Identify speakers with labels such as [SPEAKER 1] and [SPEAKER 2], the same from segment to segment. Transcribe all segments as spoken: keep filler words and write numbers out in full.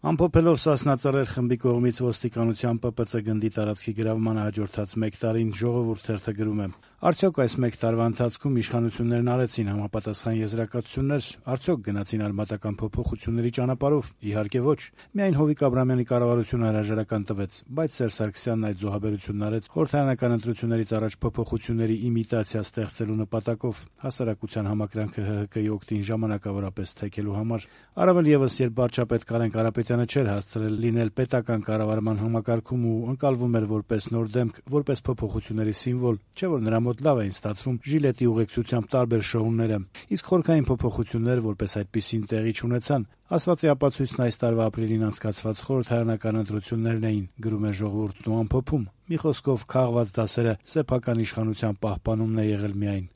[SPEAKER 1] Ամփոփելով Սասնա Ծռեր խմբի կողմից ոստիկանության Պ Պ Ց գնդի տարածքի գրավմանը հաջորդած մեկ տարին «Ժողովուրդ» թերթը գրում է. «Արդյոք այս մեկ տարվա ընթացքում իշխանություններն արեցին համապատասխան եզրակացություններ, արդյոք գնացին արմատական փոփոխությունների ճանապարհով։ Իհարկե ոչ։ Միայն Հովիկ Աբրահամյանի կառավարությունը հրաժարական տվեց, բայց Սերժ Սարգսյանն այդ զոհաբերությունն արեց խորհրդարանական ընտրություններից առաջ փոփոխությունների իմիտացիա ստեղծելու նպատակով, հասարակության համակրանքը Հ Հ Կի օգտին ժամանակավորապես թեքելու համար։ Առավել եւս, երբ վարչապետ Կարեն Կարապետյանը չէր հասցրել լինել պետական կառավարման համակարգում ու ընկալվում էր որպես նոր դեմք, որպես փոփոխությունների սիմվոլ, չէ՞ որ նրա մոտ լավ էին ստացվում ժիլետի ուղեկցությամբ տարբեր շոուները, իսկ խորքային փոփոխություններ որպես այդպիսին տեղի չունեցան։ Ասվածի ապացույցն այս տարվա ապրիլին անցկացված խորհրդարանական ընտրություններն էին», գրում է «Ժողովուրդն» ու ամփոփում. «Մի խոսքով, քաղված դասերը սեփական իշխանության պահպանումն է եղել միայն»։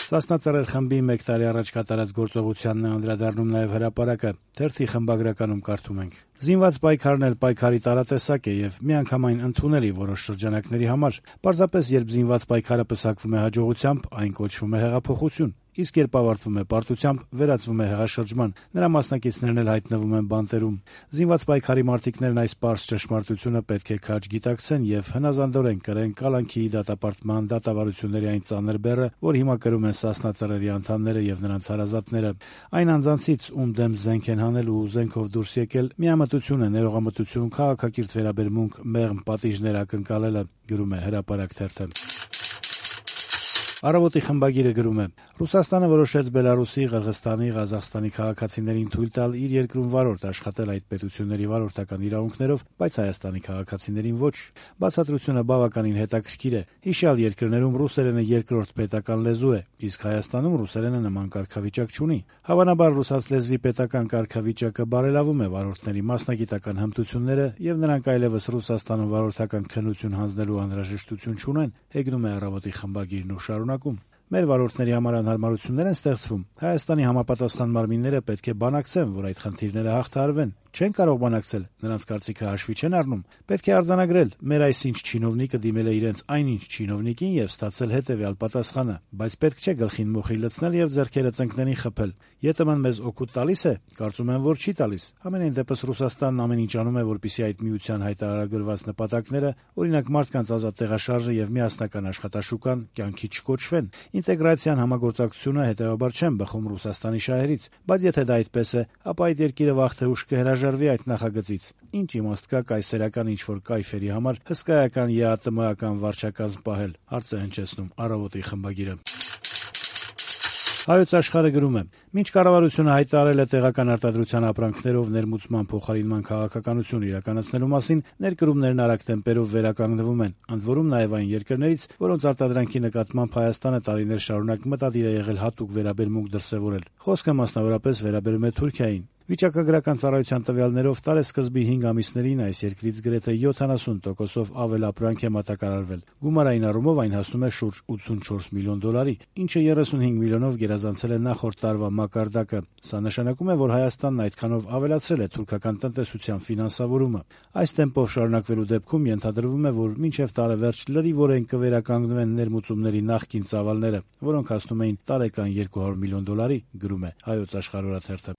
[SPEAKER 1] Սասնա Ծռեր խմբի մեկ տարի առաջ կատարած գործողությանն է անդրադառնում նաև «Հրապարակ»-ը։ Թերթի խմբագրականում կարդում ենք. «Զինված պայքարն էլ պայքարի տարատեսակ է եւ միանգամայն ընդունելի որոշ շրջանակների համար։ Պարզապես երբ զինված պայքարը պսակվում է հաջողությամբ, այն կոչվում է հեղափոխություն, իսկ երբ ավարտվում է պարտությամբ, վերածվում է հեղաշրջման։ Նրա մասնակիցներն էլ հայտնվում են բանտերում։ Զինված պայքարի մարտիկներն այս պարզ ճշմարտությունը պետք է քաջ գիտակցեն եւ հնազանդորեն կրեն կալանքի դատապարտման դատավարությունների այն ծանր բեռը, որ հիմա կրում են Սասնա Ծռերի անդամները եւ նրանց հարազատները։ Այն անձանցից, ում դեմ զենք են հանել ու զենքով դուրս եկել, միամտություն է, ներողամտություն, քաղաքակիրթ վերաբերմունք, մեղմ պատիժներ ակնկալելը», գրում է «Հրապարակ» թերթը։ Առավոտի խմբագիրը գրում է. «Ռուսաստանը որոշեց Բելարուսի, Ղրղըզստանի, Ղազախստանի քաղաքացիներին թույլ տալ իր երկրում վարորդ աշխատել այդ պետությունների վարորդական իրավունքներով, բայց Հայաստանի քաղաքացիներին ոչ։ Բացատրությունը բավականին հետաքրքիր է։ Հիշյալ երկրներում ռուսերենը երկրորդ պետական լեզու է, իսկ Հայաստանում ռուսերենը նման կարգավիճակ չունի։ Հավանաբար ռուսաց լեզվի պետական կարգավիճակը բարելավում է վարորդների մասնագիտական հմտությունները եւ նրանք այլեւս Ռուսաստանում վարորդական քննություն հանձնելու անհրաժեշտություն չունեն», հեգնում է «Առավոտի» խմբագիրն ու շարունակում. «Մեր վարորդների համար անհարմարություններ են ստեղծվում։ Հայաստանի համապատասխան մարմինները պետք է բանակցեն, որ այդ խնդիրները հաղթահարվեն։ Չեն կարող բանակցել, նրանց կարծիքը հաշվի չեն առնում։ Պետք է արձանագրել, մեր այսինչ չինովնիկը դիմել է իրենց այնինչ չինովնիկին եւ ստացել հետեւյալ պատասխանը, բայց պետք չէ գլխին մոխիր լցնել եւ ձեռքերը ծնկներին խփել։ ԵՏՄ-ն մեզ օգուտ տալիս է, կարծում եմ, որ չի տալիս։ Համենայն դեպս Ռուսաստանն ամեն ինչ անում է, որպեսզի այդ միության հայտարարագրված նպատակները, օրինակ մարդկանց ազատ տեղաշարժը եւ միասնական աշխատաշուկան, կյանքի չկոչվեն։ Ինտեգրացիան համագործակցությունը հետեւաբար չեն բխում Ռուսաստանի շահերից, բայց եթե դա այդպես է, ապա այդ երկիրը վաղ թե ուշ կհրաժարվի այդ նախագծից։ Ինչ իմաստ կա կայսերական ինչ-որ կայֆերի համար հսկայական ԵԱՏՄ-ական վարչակազմ պահել», հարց է հնչեցնում «Առավոտի» խմբագիրը։ Հայոց Աշխարհը գրում է. «Մինչ կառավարությունը հայտարարել է տեղական արտադրության ապրանքներով ներմուծման փոխարինման քաղաքականություն իրականացնելու մասին, ներկրումներն արագ տեմպերով վերականգնվում են, ընդ որում նաև այն երկրներից, որոնց արտադրանքի նկատմամբ Հայաստանը տարիներ շարունակ մտադիր է եղել հատուկ վերաբերմունք դրսևորել։ Խոսքը մասնավորապես վերաբերում է Թուրքիային։ Վիճակագրական ծառայության տվյալներով տարեսկզբի հինգ ամիսներին այս երկրից գրեթե յոթանասուն տոկոսով ավել ապրանք է մատակարարվել։ Գումարային առումով այն հասնում է շուրջ ութսունչորս միլիոն դոլարի, ինչը երեսունհինգ միլիոնով գերազանցել է նախորդ տարվա մակարդակը։ Սա նշանակում է, որ Հայաստանն այդքանով ավելացրել է թուրքական տնտեսության ֆինանսավորումը։ Այս տեմպով շարունակվելու դեպքում ենթադրվում է, որ մինչև տարեվերջ լրիվորեն կվերականգնվեն ներմուծումների նախկին ծավալները, որոնք հասնում էին տարեկան երկու հարյուր միլիոն դոլարի, գրում է Հայոց Աշխարհ օրաթերթը։